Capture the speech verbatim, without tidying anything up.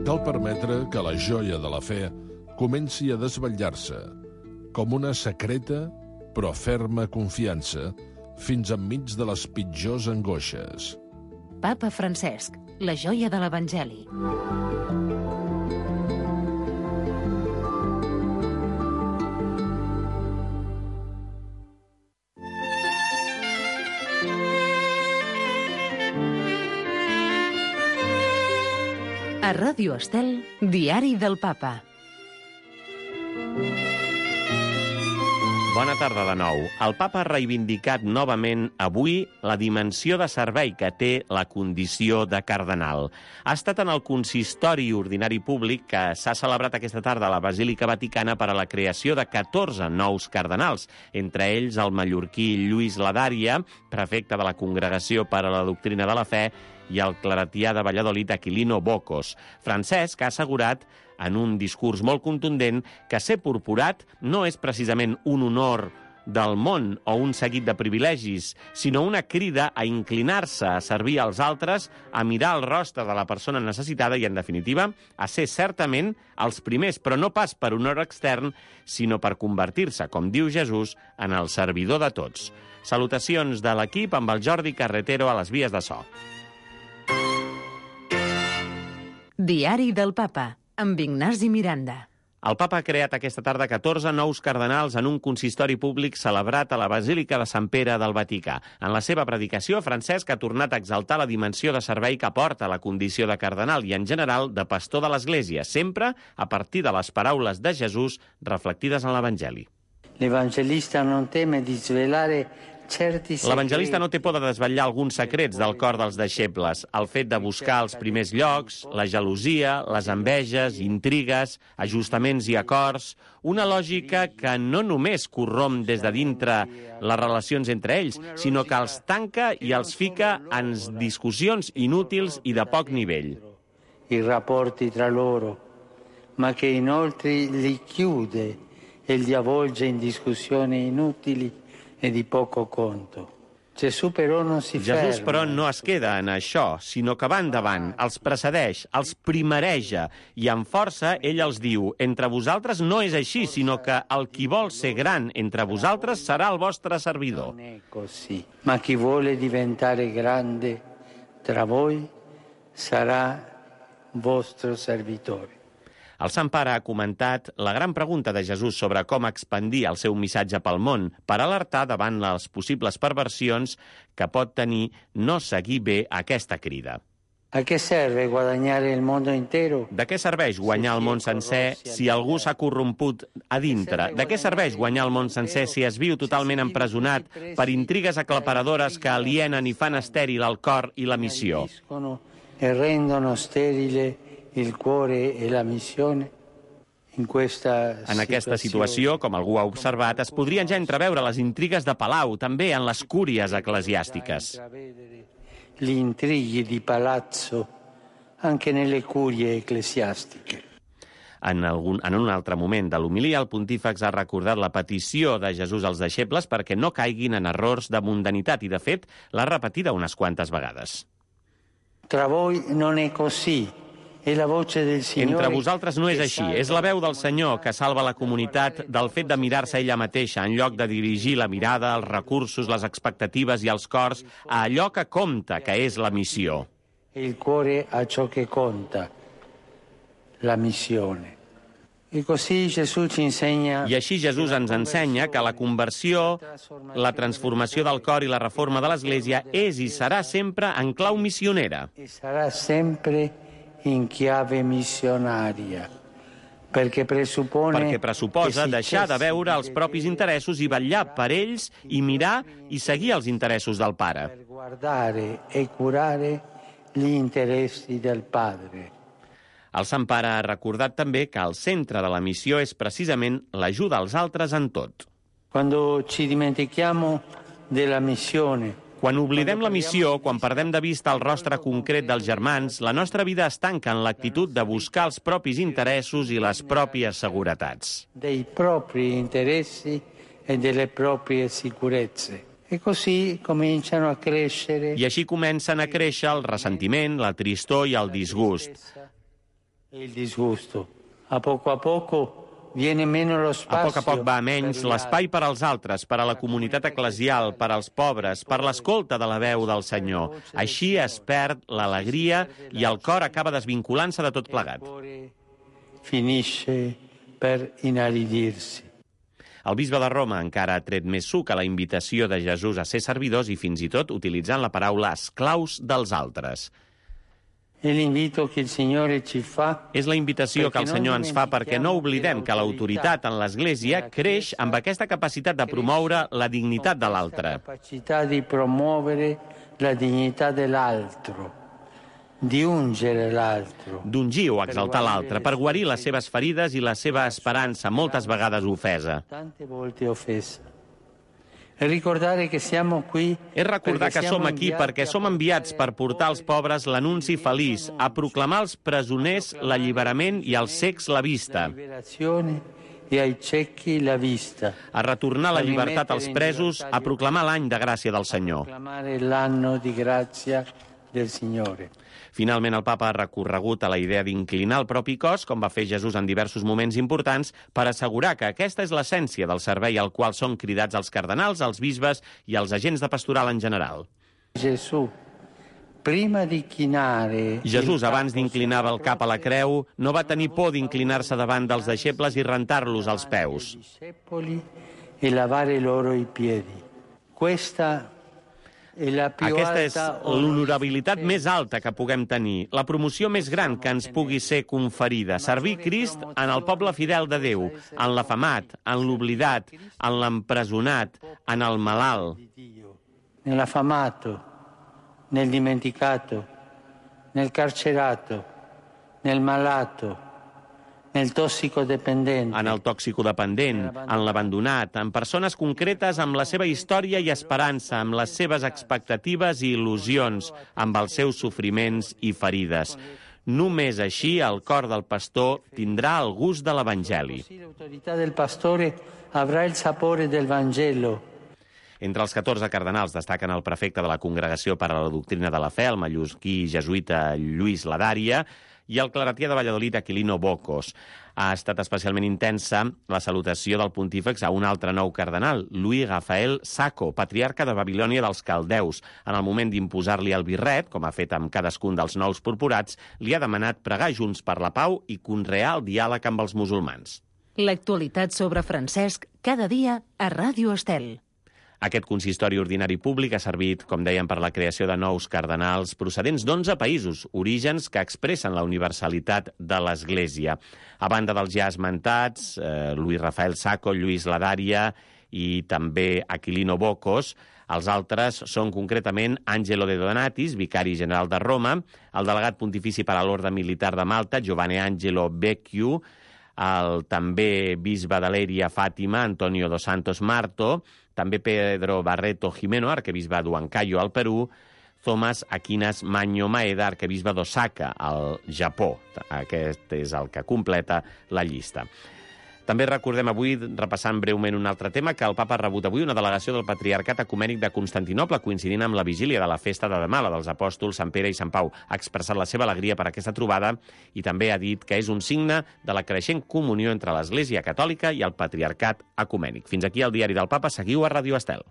cal permetre que la joia de la fe comenci a desvetllar-se, com una secreta però ferma confiança, fins enmig de les pitjors angoixes. Papa Francesc, la joia de l'Evangeli. A Ràdio Estel, Diari del Papa. Bona tarda de nou. El papa ha reivindicat novament avui la dimensió de servei que té la condició de cardenal. Ha estat en el consistori ordinari públic que s'ha celebrat aquesta tarda a la Basílica Vaticana per a la creació de catorze nous cardenals, entre ells el mallorquí Lluís Ladària, prefecte de la Congregació per a la Doctrina de la Fe, i el claretià de Valladolid Aquilino Bocos. Francesc ha assegurat en un discurs molt contundent que ser purpurat no és precisament un honor del món o un seguit de privilegis, sinó una crida a inclinar-se, a servir als altres, a mirar el rostre de la persona necessitada i, en definitiva, a ser certament els primers, però no pas per honor extern, sinó per convertir-se, com diu Jesús, en el servidor de tots. Salutacions de l'equip amb el Jordi Carretero a les vies de so. Diari del Papa, amb Ignasi Miranda. El papa ha creat aquesta tarda catorze nous cardenals en un consistori públic celebrat a la Basílica de Sant Pere del Vaticà. En la seva predicació, Francesc ha tornat a exaltar la dimensió de servei que porta la condició de cardenal i, en general, de pastor de l'Església, sempre a partir de les paraules de Jesús reflectides en l'Evangeli. L'evangelista non teme di svelare L'evangelista no té por de desvetllar alguns secrets del cor dels deixebles, el fet de buscar els primers llocs, la gelosia, les enveges, intrigues, ajustaments i acords, una lògica que no només corromp des de dintre les relacions entre ells, sinó que els tanca i els fica en discussions inútils i de poc nivell. I rapporti tra loro, ma che inoltre li chiude e li avvolge in discussioni inutili e di poco conto. Gesù però non si ferma. Jesús, però, no es queda en això, sinó que va endavant, els precedeix, els primereja, i amb força ell els diu: entre vosaltres no és així, sinó que el qui vol ser gran entre vosaltres serà el vostre servidor. Non è così, ma chi vuole diventare grande tra voi sarà vostro servitore. El Sant Pare ha comentat la gran pregunta de Jesús sobre com expandir el seu missatge pel món per alertar davant les possibles perversions que pot tenir no seguir bé aquesta crida. A què serve guadagnare il mondo intero? De què serveix guanyar el món sencer si algú s'ha corromput a dintre? De què serveix guanyar el món sencer si es viu totalment empresonat per intrigues aclaparadores que alienen i fan estèril el cor i la missió? E rendono sterile il cuore e la missione? In questa En aquesta situació, com algú ha observat, es podrien ja entreveure les intrigues de palau, també en les cúries eclesiàstiques. Gli intrighi di palazzo anche nelle curie ecclesiastiche. En, algun, en un altre moment de l'homilia, el pontífex ha recordat la petició de Jesús als deixebles perquè no caiguin en errors de mundanitat i, de fet, l'ha repetida unes quantes vegades. Tra voi non è così. Entre vosaltres no és així. És la veu del Senyor que salva la comunitat del fet de mirar-se ella mateixa, en lloc de dirigir la mirada, els recursos, les expectatives i els cors a allò que compta, que és la missió. Il cuore a ciò che conta, la missione. I così Gesù ci insegna... I així Jesús ens ensenya que la conversió, la transformació del cor i la reforma de l'Església és i serà sempre en clau missionera. I sarà sempre in chiave missionaria, perquè presupone... Perquè pressuposa deixar de veure els propis interessos i vetllar per ells i mirar i seguir els interessos del Pare. Per guardare e curare gli interessi del Padre. El Sant Pare ha recordat també que el centre de la missió és precisament l'ajuda als altres en tot. Quando ci dimentichiamo della missione, Quan oblidem la missió, quan perdem de vista el rostre concret dels germans, la nostra vida es tanca en l'actitud de buscar els propis interessos i les pròpies seguretats. Dei propri interessi e delle proprie sicurezze. E così cominciano a crescere... I així comencen a créixer el ressentiment, la tristor i el disgust. Il disgusto. A poco a poco viene meno lo spazio. A poc a poc va a menys l'espai per als altres, per a la comunitat eclesial, per als pobres, per l'escolta de la veu del Senyor. Així es perd l'alegria i el cor acaba desvinculant-se de tot plegat. Finisce per inaridirsi. El bisbe de Roma encara ha tret més suc a la invitació de Jesús a ser servidors i fins i tot utilitzant la paraula esclaus dels altres. És la invitació que el Senyor ens fa perquè no oblidem que l'autoritat en l'Església creix amb aquesta capacitat de promoure la dignitat de l'altre. Capacitat di promuovere la dignità dell'altro, di ungere l'altro. D'ungir o exaltar l'altre, per guarir les seves ferides i la seva esperança, moltes vegades ofesa. Tante volte offesa. És recordar que som aquí perquè som enviats per portar als pobres l'anunci feliç, a proclamar als presoners l'alliberament i als cecs la vista, a retornar la llibertat als presos, a proclamar l'any de gràcia del Senyor. Finalment, el papa ha recorregut a la idea d'inclinar el propi cos, com va fer Jesús en diversos moments importants, per assegurar que aquesta és l'essència del servei al qual són cridats els cardenals, els bisbes i els agents de pastoral en general. Jesús, abans d'inclinar el cap a la creu, no va tenir por d'inclinar-se davant dels deixebles i rentar-los als peus. E lavare loro i piedi. Questa Aquesta és l'honorabilitat més alta que puguem tenir, la promoció més gran que ens pugui ser conferida, servir Crist en el poble fidel de Déu, en l'afamat, en l'oblidat, en l'empresonat, en el malalt. Nell'affamato, nel dimenticato, nel carcerato, nel malato, nel tossicodependente. En el toxicodependent, en l'abandonat, en persones concretes amb la seva història i esperança, amb les seves expectatives i il·lusions, amb els seus sofriments i ferides. Només així el cor del pastor tindrà el gust de l'Evangeli. L'autoritat del pastore avrà el sapore del Vangelo. Entre els catorze cardenals destaquen el prefecte de la Congregació per a la Doctrina de la Fe, el mallorquí jesuïta Lluís Ladaria, i el claretià de Valladolid, Aquilino Bocos. Ha estat especialment intensa la salutació del pontífex a un altre nou cardenal, Louis Rafael Sacco, patriarca de Babilònia dels Caldeus. En el moment d'imposar-li el birret, com ha fet amb cadascun dels nous purpurats, li ha demanat pregar junts per la pau i conrear el diàleg amb els musulmans. L'actualitat sobre Francesc cada dia a Ràdio Estel. Aquest consistori ordinari públic ha servit, com dèiem, per la creació de nous cardenals procedents d'onze països, orígens que expressen la universalitat de l'Església. A banda dels ja esmentats, eh, Louis Rafael Sacco, Lluís Ladaria i també Aquilino Bocos, els altres són concretament Angelo de Donatis, vicari general de Roma, el delegat pontifici per a l'Orde Militar de Malta, Giovanni Angelo Becciu, el també bisbe de Lèria Fàtima, Antonio dos Santos Marto, també Pedro Barreto Jimeno, arquebisbe d'Huancayo, al Perú, Thomas Aquinas Magno Maeda, arquebisbe d'Osaka, al Japó. Aquest és el que completa la llista. També recordem avui, repassant breument un altre tema, que el papa ha rebut avui una delegació del Patriarcat Ecumènic de Constantinoble, coincidint amb la vigília de la festa de demà, la dels apòstols Sant Pere i Sant Pau. Ha expressat la seva alegria per aquesta trobada i també ha dit que és un signe de la creixent comunió entre l'Església Catòlica i el Patriarcat Ecumènic. Fins aquí el Diari del Papa. Seguiu a Ràdio Estel.